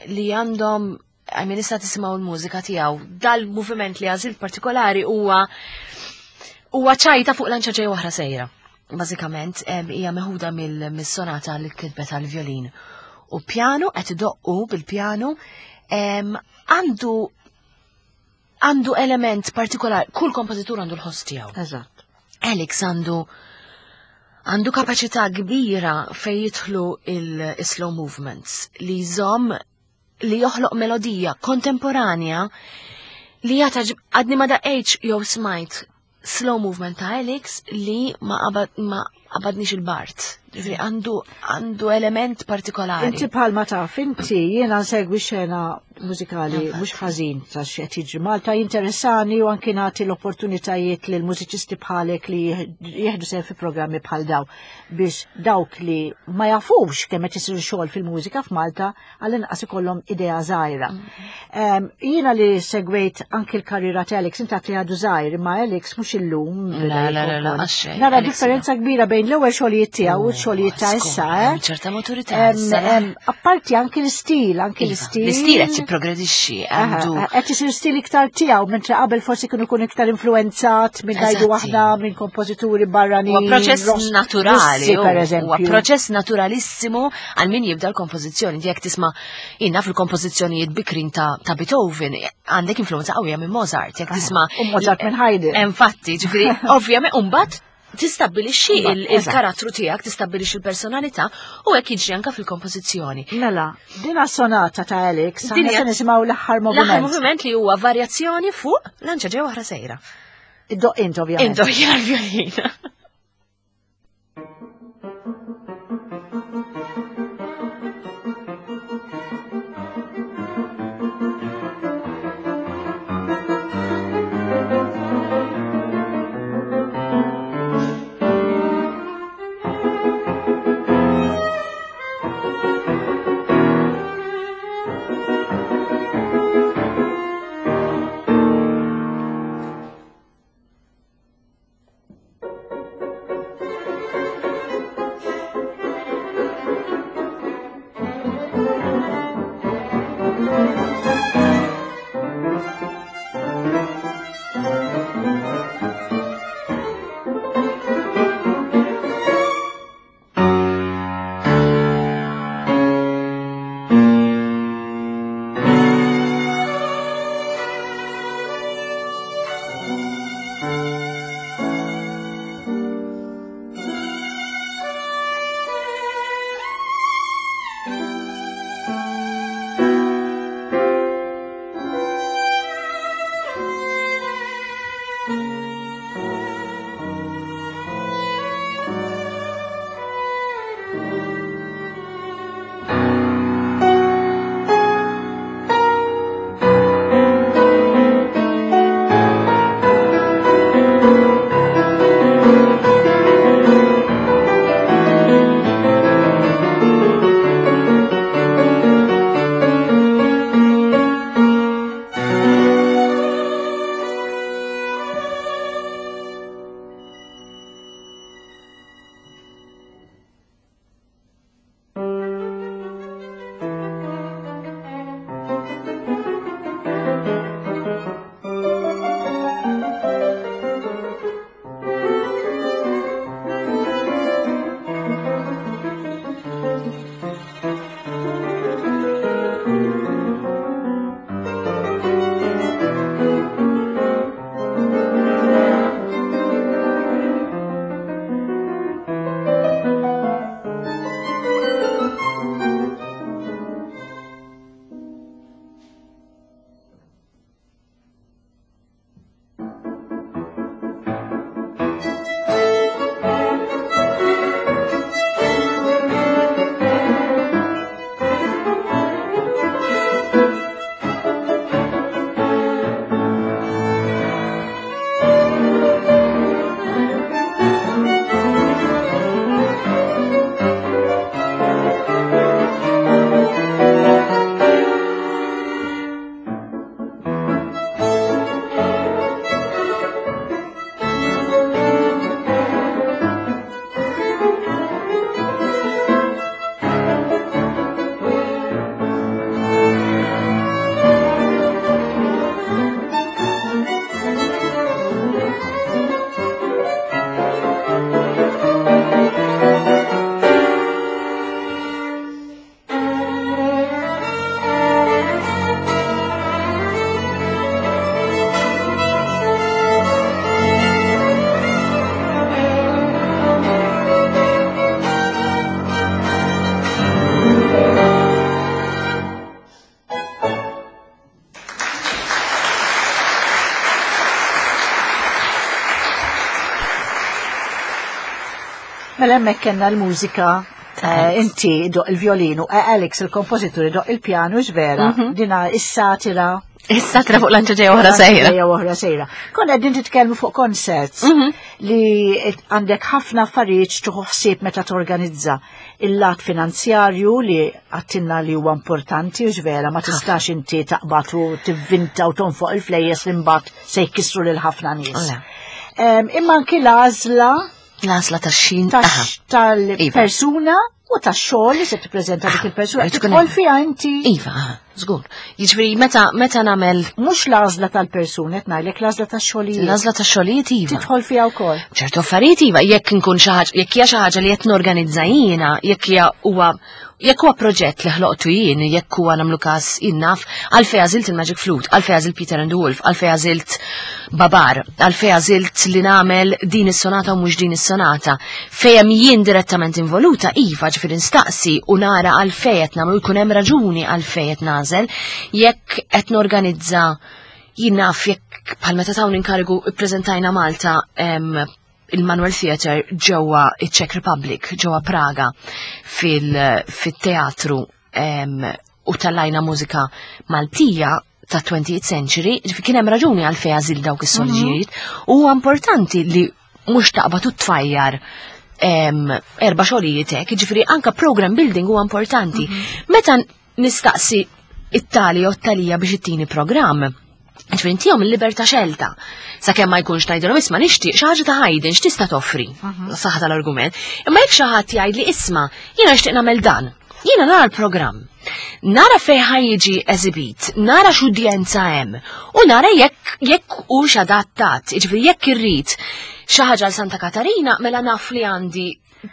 li għandhom, I mean, issa tisimgħu l-mużika tiegħu. Dal-moviment li għażilt partikolari huwa huwa ċajta fuq lanċa ġej oħra sejra. Bażikament hija meħuda mill-sonata li kitbet għal-violin. U pjanu qed idoqqu bil-pjanu, għandu għandu element partikolari, kull kompożitur għandu l-ħoss tiegħu. Eżatt. Alex għandu għandu kapaċità kbira fej jidħlu il-slow movements li jżomm li joħloq melodija kontemporanja li jata għadni ma daqqejtx jew smajt slow movement ta' Alex li ma qabad ma qabadnix il-bard. Ġifieri għandu għandu element partikolari. Inti bħalma taf, inti jiena nsegwi xena mużikali mhux ħażin ta' x'qed jiġri Malta, jinteressani u anki nagħti l-opportunitajiet lil mużiċisti bħalek li jieħdu sehem fi programmi bħal daw biex dawk li ma jafux kemm qed isir xogħol fil-mużika f'Malta għall-inqas ikollhom idea żgħira. Mm. Jiena li segwejt anki l-karriera ta' Alex, inti li għadu żgħir, imma Alex mhux illum. La, la, la, la, għax Nara differenza kbira bejn l-ewwel xogħlijiet tiegħu u x-xogħlijiet ta' issa, eh? ċerta maturità. Apparti anki l-istil, anki Iva, l-istil. L-istil qed jipprogredixxi għandu. Qed isir stil iktar tiegħu, mentri qabel forsi kienu jkun iktar influenzat minn ngħidu aħna minn kompożituri barranin. Huwa proċess naturali, per eżempju. Huwa proċess naturalissimu għal min jibda l-kompożizzjoni. Jekk tisma' jiena fil-kompożizzjonijiet bikrin ta' ta' Beethoven, għandek influenza qawwija minn Mozart. Jekk tisma' U Mozart minn Haydn. Infatti, ġifieri, ovvjament, mbagħad tistabbilixxi il-karattru tiegħek, tistabbilixxi l-personalità u hekk jiġri anke fil-kompożizzjoni. Mela, dina sonata ta' Alex, aħna se nisimgħu l-aħħar moviment. L-aħħar moviment li huwa varjazzjoni fuq lanċa ġej oħra sejra. Iddoqq int ovvjament. Iddoqq jiena l-vjolina. Mela hemmhekk kellna l-mużika eh, inti ddoqq il-violinu, eh, Alex il-kompożitur idoqq il-pjanu vera, mhm. dina is-satira. Is-satira fuq lanċa ġejja oħra sejra. Ġejja oħra sejra. Konna qegħdin titkellmu fuq concerts mhm. li għandek ħafna affarijiet tieħu ħsieb meta torganizza il-lat finanzjarju li għedtilna li huwa importanti u vera ma tistax inti taqbad u tivvinta u tonfoq il-flejjes li mbagħad se jkissru lil ħafna nies. Imma anki l-għażla L-għażla tax-xin tal-persuna u tax-xogħol li se tippreżenta dik il-persuna. Tidħol fiha inti. Iva, żgur. Jiġifieri meta meta nagħmel mhux l-għażla tal-persuna qed ngħidlek l-għażla tax-xogħlijiet. L-għażla tax-xogħlijiet iva. Tidħol fiha wkoll. ċertu affarijiet iva, jekk nkun xi ħaġa, jekk hija xi ħaġa li qed norganizza jiena, jekk hija huwa jekk huwa proġett li ħloqtu jien, jekk huwa nagħmlu każ innaf, għalfejn għażilt il-Magic Flute, għalfejn għażilt Peter and the Wolf, għalfejn għażilt Babar, għalfejn għażilt li nagħmel din is-sonata u mhux din is-sonata. Fejn jien direttament involuta, iva ġifieri nistaqsi u nara għalfejn qed nagħmlu jkun hemm raġuni għalfejn qed nagħżel, jekk qed norganizza jien naf jekk bħal meta tawni inkarigu ippreżentajna Malta il-Manuel Theatre ġewwa iċ-Czech Republic, ġewwa Praga fil-teatru u tellajna mużika Maltija ta' twentieth century, kien hemm raġuni għalfejn għażilt dawk is-solġijiet, mhm. u huwa importanti li mhux taqbad u tfajjar erba' xogħlijiet hekk, jiġifieri anka program building huwa importanti. Mhm. Meta nistaqsi it-tali u t-talija biex ittini programm, ġifieri intihom il-libertà xelta. Sakemm ma jkunx ngħidilhom isma' nixtieq xi ħaġa ta' Haydn x'tista' toffri. Mhm. Saħħa tal-argument. Imma jekk xi ħadd jgħidli isma' jiena nixtieq nagħmel dan. Jiena nara l-programm. Nara fejn ħa jiġi eżibit, nara x'udjenza hemm u nara jekk jekk hux adattat. Jiġifieri jekk irrid xi ħaġa għal Santa Katarina mela naf li għandi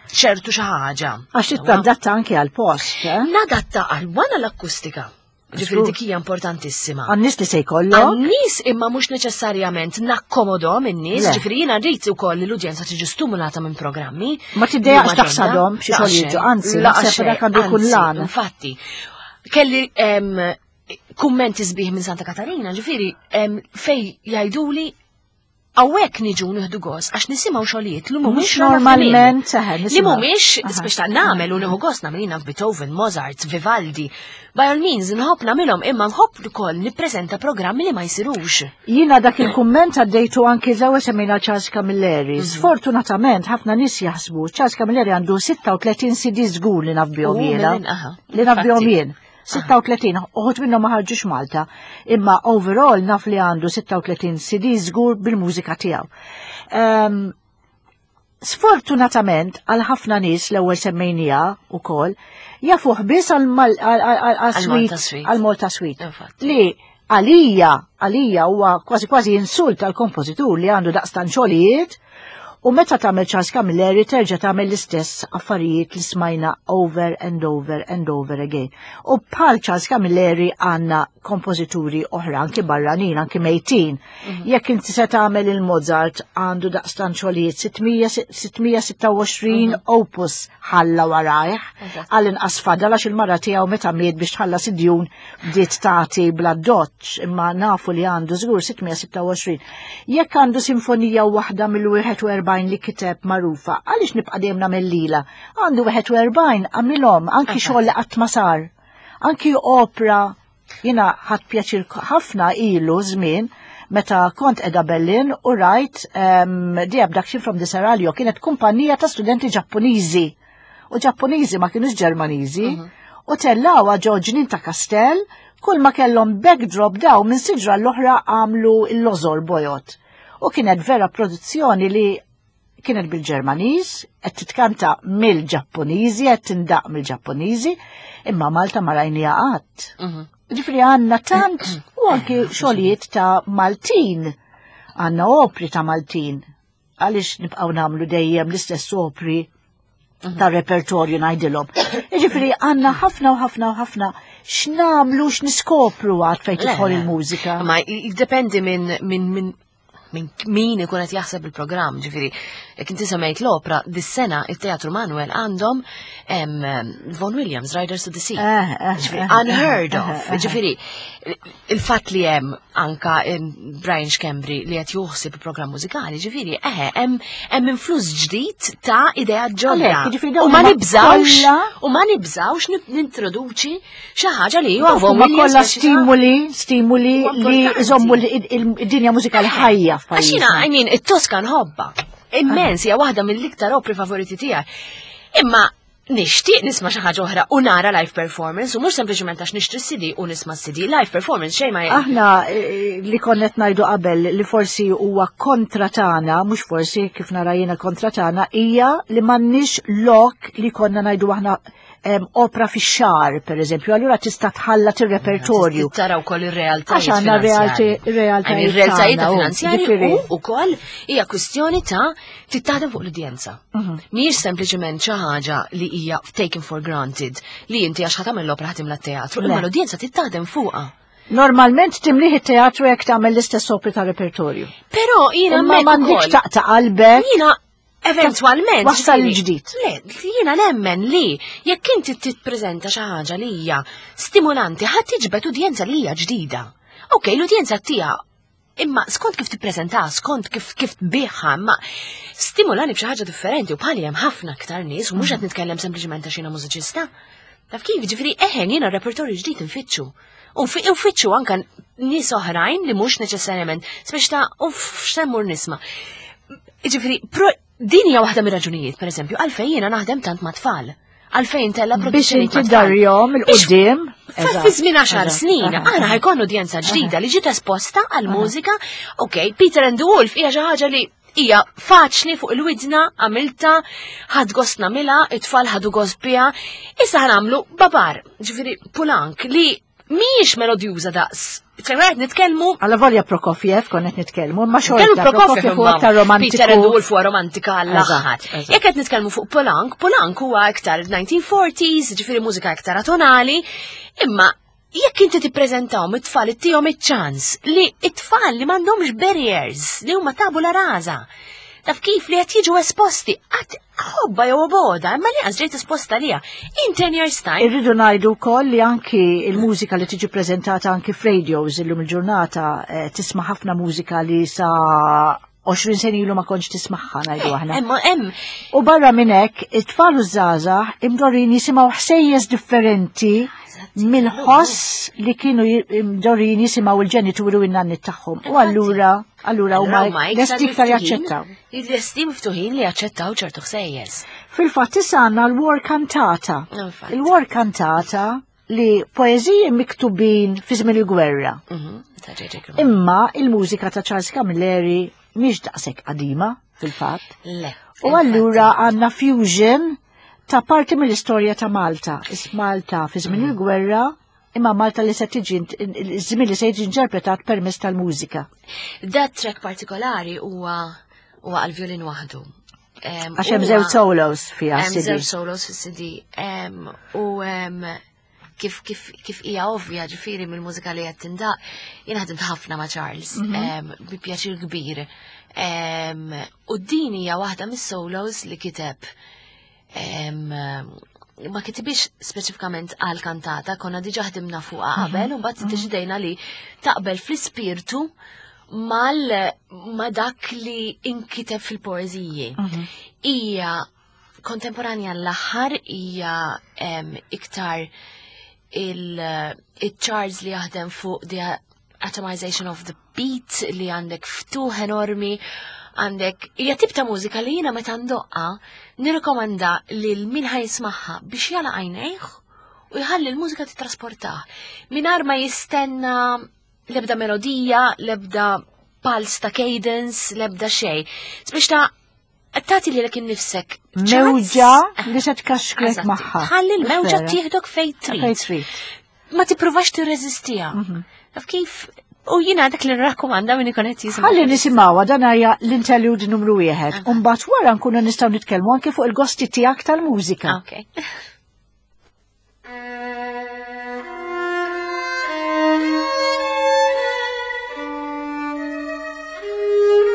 ċertu xi ħaġa. Għax tadatta anke għal post, eh? Nadatta għal wana l-akustika. Ġifieri dik hija importantissima. Għan-nies li se jkollok? Għan-nies imma mhux neċessarjament nakkomodhom in-nies, ġifieri jiena rrid ukoll li l-udjenza tiġi stimulata minn programmi. Ma tiddejjaqx taħsadhom b'xi xogħol, anzi, naħseb dak għandu jkun lan. Infatti, kelli kummenti sbieħ minn Santa Katarina, ġifieri fej jgħiduli hawnhekk niġu nieħdu gost għax nisimgħu xogħlijiet li mhumiex normalment li mhumiex biex ta' nagħmel u nieħu gost nagħmel jiena Beethoven, Mozart, Vivaldi. By all means nħobb nagħmilhom imma nħobb ukoll nippreżenta programmi li ma jsirux. Jiena dak il-kumment għaddejtu anki żewġ semmejna Charles Camilleri. Mhm. Sfortunatament ħafna nies jaħsbu Charles Camilleri għandu sitta u tletin C D żgur li naf bihom jiena. Li naf bihom jien. sitta u tletin, uħud minnhom ma ħarġux Malta, imma overall naf li għandu sitta u tletin C D żgur bil-mużika tiegħu. Um, sfortunatament għal ħafna nies l-ewwel semmejnija wkoll jafuh biss għal Malta Suite. Li għalija, għalija huwa kważi kważi insult għal kompożitur li għandu daqstan xogħlijiet. U meta tagħmel Charles Camilleri terġa' tagħmel l-istess affarijiet li smajna over and over and over again. U bħal Charles Camilleri għandna kompożituri oħra anki barranin, anki mejtin. Mm -hmm. Jekk inti se tagħmel il-Mozart għandu daqstan xogħlijiet sitt mija u sitta u għoxrin mm -hmm. opus ħalla warajh għal inqas fadal għax il-mara tiegħu meta miet biex tħallas id-djun bdiet tagħti bla doċ imma nafu li għandu żgur sitt mija u sitta u għoxrin. Jekk għandu sinfonija waħda mill-wieħed u erbgħin li kiteb magħrufa, għaliex nibqa' dejjem nagħmel lila? Għandu wieħed u erbgħin għamilhom anki xogħol li qatt ma sar. Anki opra jiena ħadt pjaċir ħafna ilu żmien meta kont edha Berlin u rajt um, The Abduction from the Seraglio kienet kumpanija ta' studenti Ġappuniżi. U Ġappuniżi ma kienux Ġermaniżi. Uh mhm. -huh. U tellgħuha ġo ġnien ta' kastell, kull ma kellhom backdrop daw minn siġra l-oħra għamlu l-lożor bojod. U kienet vera produzzjoni li kienet bil-Ġermaniż, qed titkanta mill-Ġappuniżi, qed tindaq mill-Ġappuniżi, imma Malta ma rajniha qatt. Mhm. Ġifieri għandna tant u anki xogħlijiet ta' Maltin, għandna opri ta' Maltin. Għaliex nibqgħu nagħmlu dejjem l-istess opri mhm. ta' repertorju ngħidilhom. Ġifieri għandna ħafna u ħafna u ħafna x'nagħmlu x'niskopru għad fejn tidħol il-mużika. Ma jiddependi minn min, min minn min ikun qed jaħseb il-programm, ġifieri, jekk inti semmejt l-opra, dis-sena it-Teatru Manuel għandhom Vaughan Williams, Riders to the Sea. Eh, eh, Ġifieri, eh, unheard eh, of. eh, eh. Ġifieri, il-fatt li hemm anka Brian Schembri li qed joħseb il-programm mużikali, ġifieri, eħe, hemm hemm influss ġdid ta' idea ġodda. Għalhekk, jiġifieri dawn U ma huma nibżawx, kollha- u ma nibżawx nintroduċi xi ħaġa li huwa Dawk Vaughan huma Williams kollha biex ta' stimuli, stimuli Huwa li importanti. iżommu l-dinja mużikali ħajja Għax jiena, f'pajjiżna. I mean, it-Tosca nħobba. Immens, hija waħda mill-iktar opri favoriti tiegħi. Imma nixtieq nisma' xi ħaġa oħra u nara live performance u mhux sempliċement għax nixtri C D u nisma' C D, live performance xejn ma Aħna eh, li konnet ngħidu qabel li forsi huwa kontra tagħna, mhux forsi, kif nara jiena kontra tagħna, hija li m'għandniex lok li konna ngħidu aħna em, opra fix-xahar, per eżempju, allura tista' tħallat ir-repertorju. Tara wkoll ir-realtajiet Għax għandna finanzjarji. realti- realtajiet I mean, ir-realtajiet tagħna, u, finanzjarji ġifieri. u wkoll hija kwistjoni ta' tittaħdem fuq l-udjenza. Mhm. Mhijiex sempliċement xi ħaġa li hija taken for granted li inti għax ħa tagħmel l-opra ħa timla t-teatru, Le. imma l-udjenza tittaħdem fuqha. Normalment timliħ it-teatru jekk tagħmel l-istess opri ta' repertorju. Però jiena Imma hemmhekk m'għandikx ukoll- taqta' qalbek. Jiena eventualment Wassal ġifieri, il-ġdid. Le, jiena nemmen li jekk inti tippreżenta xi ħaġa li hija stimulanti, ħadd tiġbed udjenza li hija ġdida. Ok, l-udjenza tija imma skont kif tippreżenta, skont kif kif tbiħha, imma stimulani b'xi ħaġa differenti u bħali hemm ħafna aktar nies u mhux qed nitkellem sempliċement għax jiena mużiċista. Taf kif, ġifieri eħen jiena repertorju ġdid nfittxu. U fi- u nfittxu anka nies oħrajn li mhux neċessarjament, speċi ta' uff, x'semmur nisma'. Ġifieri, pro- din hija waħda mir-raġunijiet, pereżempju, għalfejn jiena naħdem tant ma' tfal. Għalfejn tella Biex produzzjonijiet inti ma' tfal. darjom il-qudiem. Fi żmien għaxar snin, aħna ħa jkollna udjenza ġdida li ġiet esposta għal mużika. Ok, Peter and the Wolf hija xi ħaġa li hija faċli fuq il-widna, għamilta, ħad gost nagħmilha, it-tfal ħadu gost biha. Issa ħa nagħmlu Babar, ġifieri Poulenc, li mhijiex melodjuża daqs. ċe nitkellmu Alla volja Prokofiev konnet nitkellmu, ma Nitkellmu xorta Prokofiev huwa aktar romantiku. Peter and the Wolf huwa romantika għall-aħħar. Eżatt, eżatt. Jekk qed nitkellmu fuq Poulenc, Poulenc huwa iktar nineteen forties, ġifieri mużika iktar atonali, imma jekk inti tippreżentawhom it-tfal, ittihom iċ-ċans li it-tfal li m'għandhomx barriers, li huma tabula rasa. Taf kif, li qed jiġu esposti għat ħobba jew boda, imma li għaż ġejt esposta lija. In ten years time, Irridu ngħidu wkoll li anki il-mużika li tiġi preżentata anki f'radios illum il-ġurnata, eh, tisma' ħafna mużika li sa għoxrin sena ilu ma kontx tismagħha, ngħidu aħna. Hemm hemm U barra minn hekk, it-tfal u żgħażagħ imdorrin jisimgħu ħsejjes differenti mill-ħoss li kienu imdorrin jisimgħu il-ġenituri u n-nanni tagħhom. U allura allura huma lesti iktar jaċċettaw. Lesti miftuħin li jaċċettaw ċertu ħsejjes. Fil-fatt issa għandna l-War Cantata. Infatti. Il-War Cantata li poeżiji miktubin fi żmien il-gwerra. Mhm, ta' J J. Cremona. Imma il-mużika ta' Charles Camilleri mhix daqshekk qadima fil-fatt. Le. U allura għandna fusion ta' parti mill-istorja ta' Malta. Is Malta fi żmien il-gwerra, imma Malta li se tiġi iż-żmien li se jiġi interpretat permezz tal-mużika. Dat track partikolari huwa huwa għal-violin waħdu. Em, Għax hemm huwa- żewġ solos fiha Hemm C D. żewġ solos fis-C D. Em, U em, kif kif kif hija ovvja ġifieri mill-mużika li qed tindaq, jien ħadimt ħafna ma' Charles, em, bi pjaċir kbir. Em, U din hija waħda mis-solos li kiteb, em, ma kitibix speċifikament għal kantata, konna diġa ħdimna fuqha qabel, u mbagħad iddeċidejna li taqbel fl-ispirtu mal ma dak li inkiteb fil-poeżiji. Hija kontemporanja l-aħħar, hija em, iktar il-Charles li jaħdem fuq the atomization of the beat, li għandek ftuħ enormi, għandek hija tip ta' mużika li jiena meta ndoqqa nirrikomanda lil min ħa jismagħha biex jagħlaq għajnejh u jħalli l-mużika titrasportah mingħajr ma jistenna l-ebda melodija, l-ebda pulse ta' cadence, l-ebda xejn. Biex ta' tagħti lilek innifsek Mewġa ċans. li se tkaxkrek Eżatti. magħha. Tħalli l-mewġa Vera. tieħdok fejn trid. Fejn trid. Ma tippruvax tirreżistiha. Taf kif? U jiena dak li nrakkomanda min ikun qed jisma'. Ħalli nisimgħuha, dan hija l-interlude numru wieħed. U mbagħad wara nkunu nistgħu nitkellmu anke fuq il-gosti tiegħek tal-mużika. Ok. Thank you.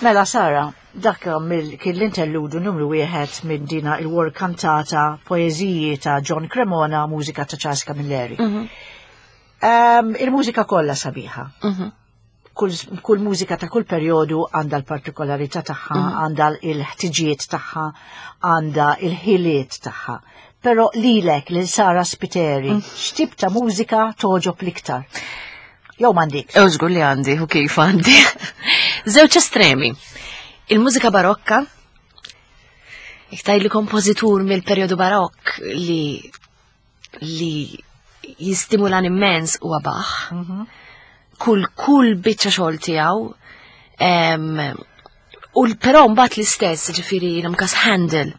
Mela Sara, dak mill- kien l-interludu numru wieħed minn dina il-War Cantata, poeżiji ta' John Cremona, mużika ta' Charles Camilleri. Um, il-mużika kollha sabiħa. Mhm. Kull, kull mużika ta' kull perjodu għandha l-partikolarità tagħha, għandha il-ħtiġijiet tagħha, għandha il-ħiliet tagħha. Però lilek, lil Sara Spiteri, x'tip ta' mużika togħġob l-iktar? Jew m'għandik? Ew żgur li għandi, u kif għandi. Żewġ estremi. Il-mużika barokka, iktar li kompożitur mill-perjodu barokk li li jistimulan immens huwa Bach. Kull kull biċċa xogħol tiegħu. em, U l- però mbagħad l-istess, ġifieri nagħmel Handel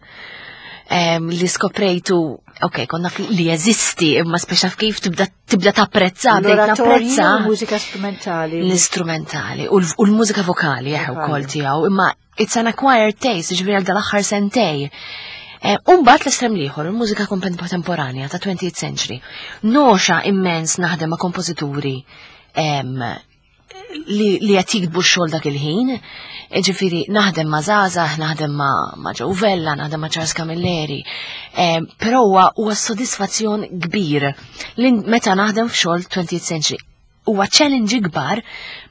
em, li skoprejtu, ok, konna li jeżisti, imma speċa kif tibda tibda tapprezza, bdejt L-oratorji napprezza u mużika strumentali. l-istrumentali u l- u l-mużika vokali eħe Vokali. wkoll tiegħu, imma it's an acquired taste, ġifieri għal dal-aħħar sentej. Eh, Umbagħad l-estrem l-ieħor, il-mużika kontemporanja ta' twentieth century. Nogħxa immens naħdem ma' kompożituri em, li, li qed jiktbu x-xogħol dak il-ħin. Ġifieri naħdem ma' żgħażagħ, naħdem ma' ma' Joe Vella, naħdem ma' Charles Camilleri. Eh, Però huwa huwa sodisfazzjon kbir li meta naħdem f'xogħol twentieth century. Huwa challenge kbar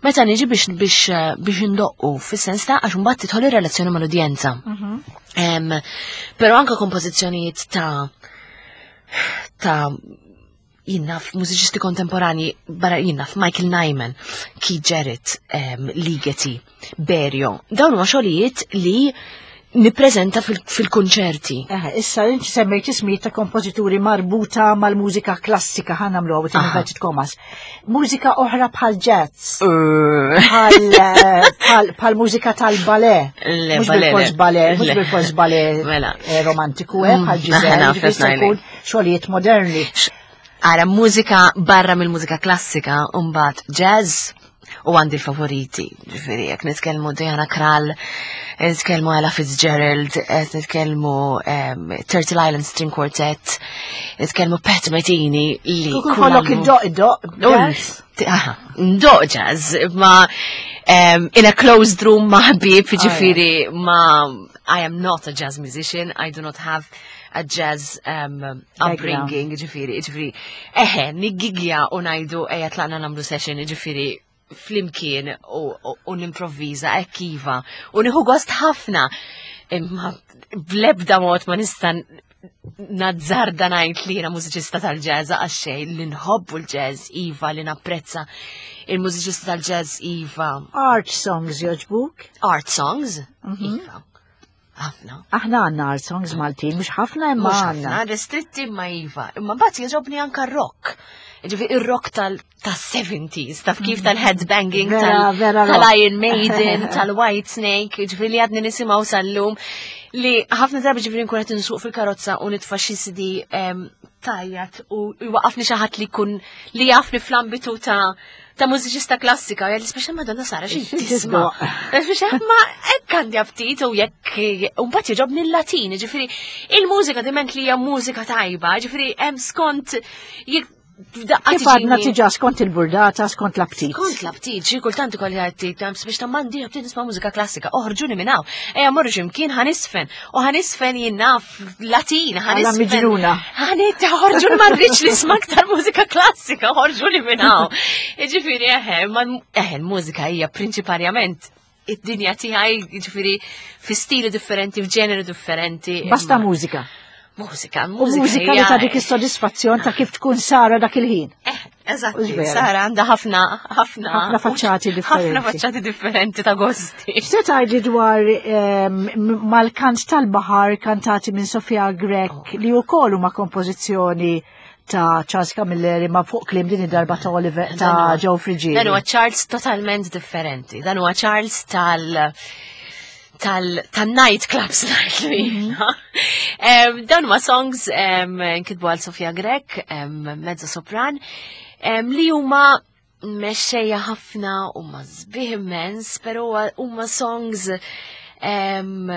meta niġi biex biex biex indoqqu, fis-sens ta' għax imbagħad tidħol ir-relazzjoni mal-udjenza. Em, Però anke kompożizzjonijiet ta' ta' jien naf mużiċisti kontemporani barra, jien naf Michael Nyman, Keith Jarrett, um, Ligeti, Berio. Dawn huma xogħlijiet li nippreżenta fil- fil-kunċerti. Eh, issa inti semmejt ismijiet ta' kompożituri marbuta mal-mużika klassika, ħa nagħmlu għawet Aha. inverted commas. Mużika oħra bħal jazz, bħal eh, bħal- bħal mużika tal-ballet. Le, Mhux ballet, bil-fors le. ballet, mhux Le. bil-fors ballet Mela. eh, romantiku, eh, bħal Mm, Giselle, naf, ġifieri naf, jkun xogħlijiet moderni. Ara, mużika barra mill-mużika klassika, umbagħad jazz, u għandi l-favoriti, ġifieri, jekk nitkellmu Diana Krall, nitkellmu Ella Fitzgerald, qed nitkellmu um, Turtle Island String Quartet, nitkellmu Pat Metheny li Kull kull kollok album- id-doq, id-doq, jazz. Aha, ndoq jazz, ma um, in a closed room ma' ħbieb, ġifieri, ma I am not a jazz musician, I do not have a jazz um, upbringing, ġifieri, ġifieri, eħe, niggigja u ngħidu ejja tlaqna nagħmlu session, ġifieri, flimkien u, u, u nimprovviża, hekk iva, u nieħu gost ħafna, imma blebda mod ma nista' nazzarda ngħid li jiena mużiċista tal-jazz għax xejn. Li nħobbu l-jazz, iva, li napprezza il-mużiċista tal-jazz, iva. Art songs jogħġbuk? Art songs, iva. Ħafna. Aħna għandna art songs Maltin, mhux ħafna imma Mhux għandna. ħafna, restritti ma iva. Imma mbagħad jogħġobni anka rock. Ġifieri ir-rock tal-seventies, taf kif, tal-headbanging, Vera, tal- vera rock. tal-Iron Maiden, tal-White Snake, ġifieri li għadni nisimgħu sal-lum, li ħafna drabi ġifieri nkun qed insuq fil-karozza u nitfa' xi C D em, tajjat u jwaqafni xi ħadd li jkun li jafni fl-ambitu ta' ta' mużiċista klassika, jgħid speċa Madonna Sara xi tisma'. Speċa ma hekk għandi aptit u jekk u mbagħad jogħġobni l-Latin, ġifieri il-mużika diment li hija mużika tajba, ġifieri hemm skont jekk daqqa Kif għadna tiġini- tiġa skont il-burdata, skont l-aptit. Skont l-aptit, xi kultant ikolli għattit, biex ta' m'għandi aptit nisma' mużika klassika, oħorġuni minn hawn. Ejja morru x'imkien ħa niżfen, u ħa niżfen jien naf Latin, Għala ħa nisfen. miġnuna. Ħa nit, oħorġuni, ma rridx nisma' aktar mużika klassika, oħorġuni minn hawn. Ġifieri eħe, ma eħe, l-mużika hija prinċipalment id-dinja tiegħi, ġifieri fi stili differenti, f'ġeneri differenti. Basta imma- mużika. Mużika, U mużika. mużika li hija- ta' dik is-sodisfazzjon ta' kif tkun Sara dak il-ħin. Eh, eżatti, Hux vera? Sara għandha ħafna, ħafna. Ħafna faċċati differenti. Ħafna faċċati differenti ta' gosti. Se tgħidli dwar ehm, m- mal-kant tal-baħar kantati minn Sofia Grech, li wkoll huma kompożizzjoni ta' Charles Camilleri ma' fuq kliem din id-darba ta' Oliver ta' Joe Friggieri? Dan huwa Charles totalment differenti. Dan huwa Charles tal tal tal-night clubs ngħidlu. um, Dawn huma songs um, nkitbu għal Sofia Grech, um, mezzo sopran, um, li huma mexxejja ħafna, huma sbieħ immens, però huma songs um,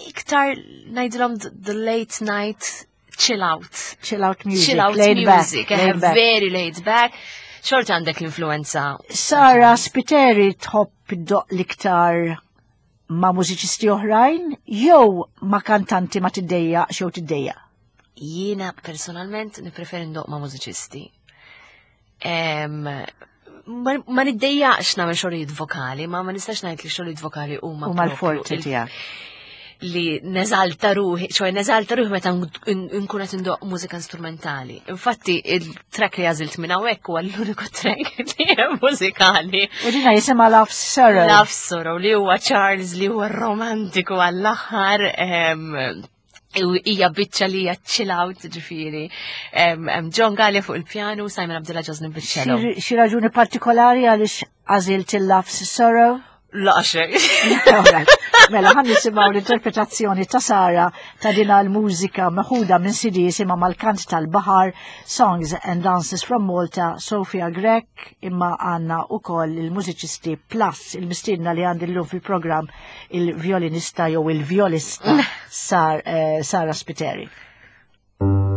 iktar ngħidilhom the late night chill out. Chill out music, Chill out laid back, music, laid eh, back. Very laid back. Xorta għandek l-influenza. Sara Spiteri tħobb Tħobb iddoqq l-iktar ma' mużiċisti oħrajn jew ma' kantanti ma tiddejjaq jew tiddejjaq? Jiena personalment nippreferi ndoqq ma' mużiċisti. Em, Ma ma niddejjaqx nagħmel xogħlijiet vokali, ma ma nistax ngħid li xogħlijiet vokali huma Huma propju l-forti il- tiegħek. li neżalta ruħi, ċoè neżalta ruħi meta nkun qed indoqq mużika strumentali. Infatti il-track li għażilt minn hawnhekk huwa l-uniku track li hemm mużikali. U dina jisimha Love Sorrow. Love Sorrow li huwa Charles li huwa romantiku għall-aħħar. em, u hija biċċa li hija chill out ġifieri. Em, em, John Gallia fuq il-pjanu, Simon Abdullah Ġozni bil-cello. Xi xi raġuni partikolari għaliex għażilt il-Love Sorrow? La xejn. Alright. Mela, ħa nisimgħu l-interpretazzjoni ta' Sara ta' dina l-mużika meħuda minn C D jisimha Mal-Kant tal-Baħar, Songs and Dances from Malta, Sofia Grech, imma għandna ukoll il-mużiċisti plus il-mistiedna li għandi llum fil-programm, il-violinista jew il-violista Sar, eh, Sara Spiteri. Thank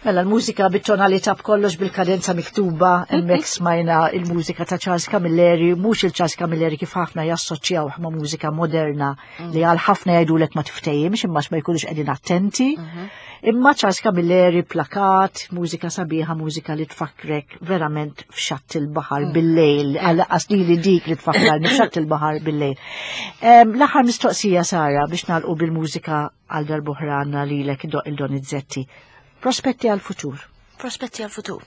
Mela l-mużika bit-tonalità b'kollox bil-kadenza miktuba, hemmhekk smajna il-mużika ta' Charles Camilleri, mhux il-Charles Camilleri kif ħafna jassoċjaw ma' mużika moderna li għal ħafna jgħidulek ma tiftehimx imma ma jkunux qegħdin attenti. Imma Charles Camilleri plakat, mużika sabiħa, mużika li tfakkrek verament f'xatt il-baħar bil-lejl, għal li dik li tfakkarni f'xatt il-baħar bil-lejl. L-aħħar mistoqsija Sara biex nagħlqu bil-mużika għal darb'oħra għandna lilek il-Donizetti. Prospetti għal-futur. Prospetti għal-futur.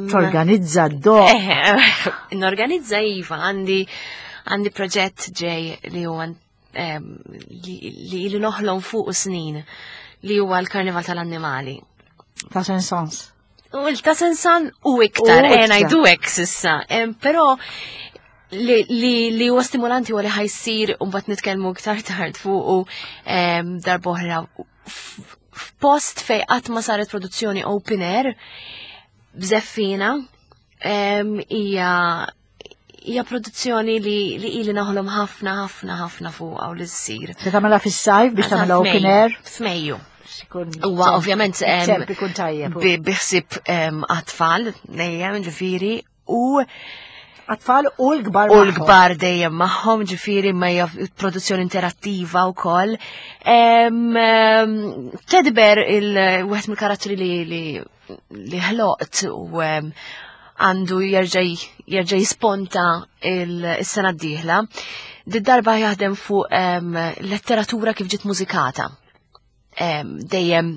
Torganizza d-do. Norganizza iva, għandi għandi proġett ġej li huwa li li noħlom fuq snin li huwa l-Karnival tal-Annimali. Ta' Saint-Saëns. U ta' Saint-Saëns u iktar, eh ngħidu hekk s'issa. Però li li huwa stimolanti huwa li ħa jsir u mbagħad nitkellmu iktar tard fuq u darb'oħra f'post fej qatt ma saret produzzjoni open air b'żeffina hija hija produzzjoni li li ili naħlom ħafna ħafna ħafna fuqha u li ssir. Se tagħmilha fis-sajf biex tagħmilha open air? F'Mejju. Huwa ovvjament ikun tajjeb. Biħsib għat-tfal dejjem ġifieri u għat-tfal u l-kbar U l-kbar dejjem magħhom, ġifieri ma hija produzzjoni interattiva wkoll. Teddy Bear il-wieħed mill-karattri li li ħloqt u għandu jerġa' jerġa' jisponta il-sena d-dieħla. Did-darba jaħdem fuq letteratura kif ġiet mużikata. Dejjem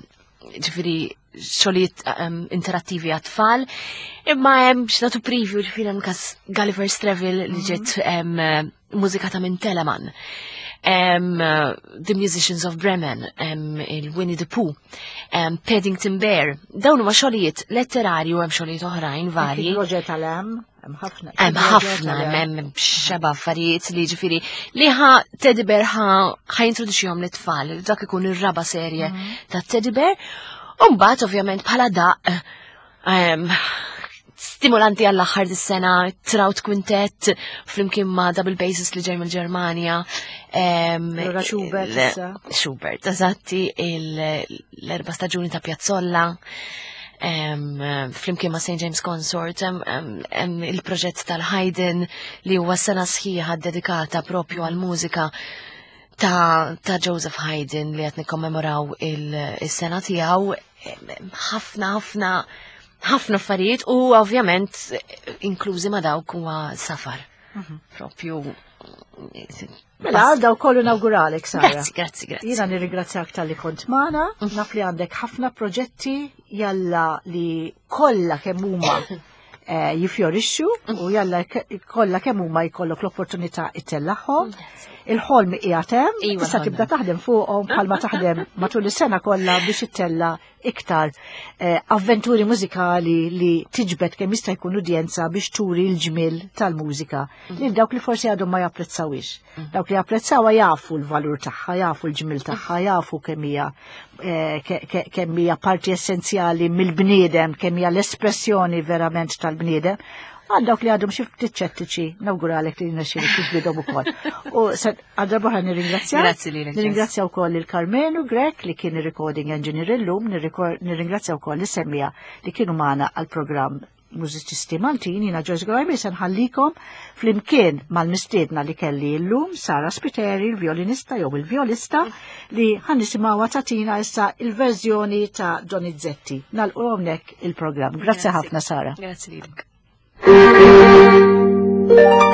ġifieri xogħlijiet interattivi għat-tfal, imma hemm biex nagħtu preview ġifieri hemm każ Gulliver's Travel li ġiet mużikata minn Telemann. The Musicians of Bremen, il-Winnie the Pooh, Paddington Bear. Dawn huma xogħlijiet letterarju hemm xogħlijiet oħrajn varji. Roger tal-Em, hemm ħafna. Hemm ħafna, hemm xeba affarijiet li ġifieri li ħa Teddy Bear ħa jintroduċihom lit-tfal. Dak ikun ir-raba' serje ta' Teddy Bear. Umbagħad ovvjament bħala daq stimolanti għall-aħħar dis-sena, Trout Quintet flimkien ma' double bassist li ġej mill-Ġermanja. Allura Schubert issa. Schubert, eżatti, l-erba' staġuni ta' Piazzolla. Flimkien ma' Saint James Consort, hemm il-proġett tal-Haydn li huwa sena sħiħa dedikata propju għall-mużika ta', ta Joseph Haydn li qed nikkommemoraw il-sena tiegħu. Ħafna ħafna ħafna affarijiet u ovvjament inklużi ma' dawk huwa safar. Propju. Mela, daw kollu nawguralek, Sara. Grazzi, grazzi, grazzi. Jiena nirringrazzjak talli kont magħna, naf li għandek ħafna proġetti jalla li kollha kemm huma jifjorixxu u jalla kollha kemm huma jkollok l-opportunità ittellagħhom. Il-ħolm qiegħed hemm, issa tibda taħdem fuqhom bħalma taħdem matul is-sena kollha biex ittella' iktar avventuri mużikali li tiġbed kemm jista' jkun udjenza biex turi l-ġmiel tal-mużika lil dawk li forsi għadhom ma japprezzawhiex. Dawk li japprezzawha jafu l-valur tagħha, jafu l-ġmiel tagħha, jafu kemm hija kemm hija parti essenzjali mill-bniedem, kemm hija l-espressjoni verament tal-bniedem. Għal dawk li għadhom xi ftit ċettiċi, nawguralek li nexxielek tiġbidhom ukoll. U għal darb'oħra nirringrazzjak. Grazzi lilek. Nirringrazzja wkoll lil Karmenu Grech li kien ir-recording engineer illum, nirringrazzja wkoll is-semmija li kienu magħna għall-programm Mużiċisti Maltin. Jiena Joyce Gurajmi se nħallikom flimkien mal-mistiedna li kelli llum, Sara Spiteri, il-violinista jew il-violista, li ħa nisimgħuha tatina issa il-verżjoni ta' Donizetti. Nagħlqu hawnhekk il-programm. Grazzi ħafna, Sara. Grazzi lilek. Thank you.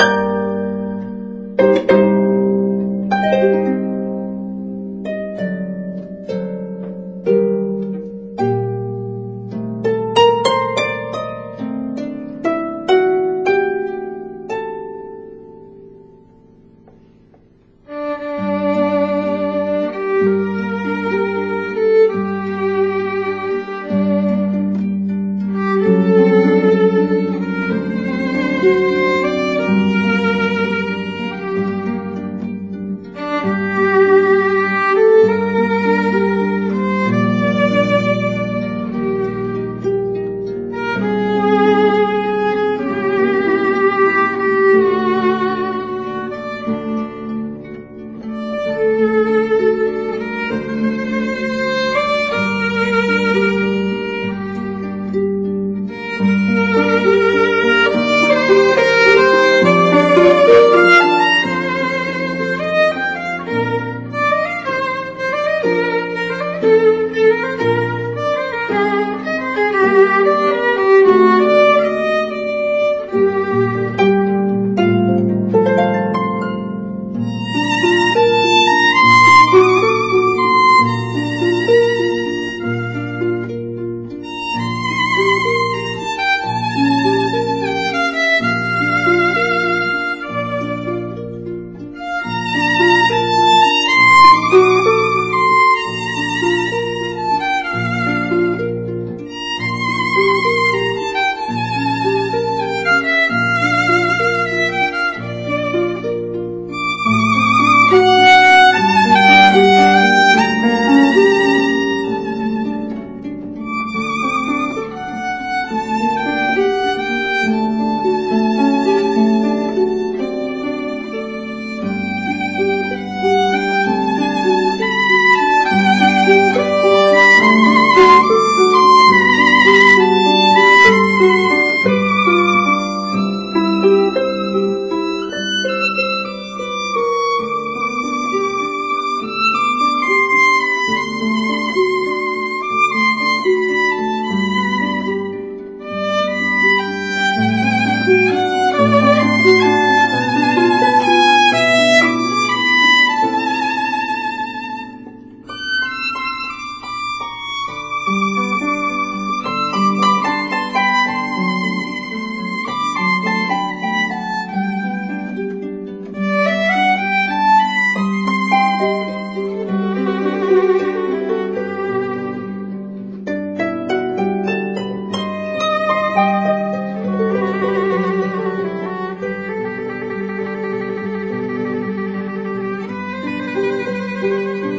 Thank you.